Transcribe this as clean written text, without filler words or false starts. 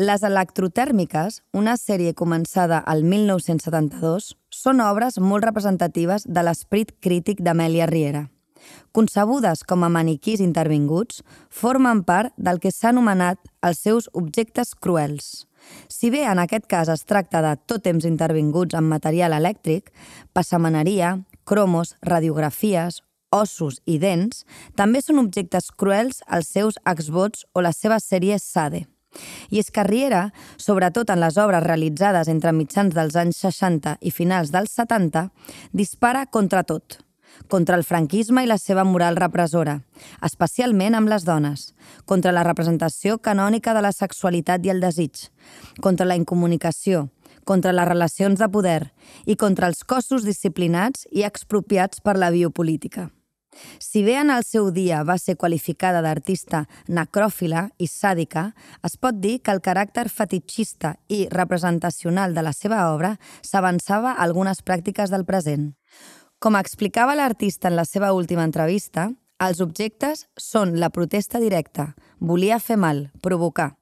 Les electrotèrmiques, una sèrie començada al 1972, són obres molt representatives de l'esperit crític d'Amèlia Riera. Concebudes com a maniquís intervinguts, formen part del que s'ha anomenat els seus objectes cruels. Si bé en aquest cas es tracta de tòtems intervinguts en material elèctric, passamaneria, cromos, radiografies, ossos i dents, també són objectes cruels els seus exvots o la seva sèrie Sade. I és que Riera, sobretot en les obres realitzades entre mitjans dels anys 60 i finals dels 70, dispara contra tot. Contra el franquisme i la seva moral repressora, especialment amb les dones, contra la representació canònica de la sexualitat i el desig, contra la incomunicació, contra les relacions de poder i contra els cossos disciplinats i expropiats per la biopolítica. Si bé en el seu dia va ser qualificada d'artista necròfila i sàdica, es pot dir que el caràcter fetitxista i representacional de la seva obra s'avançava a algunes pràctiques del present. Com explicava l'artista en la seva última entrevista, els objectes són la protesta directa, volia fer mal, provocar.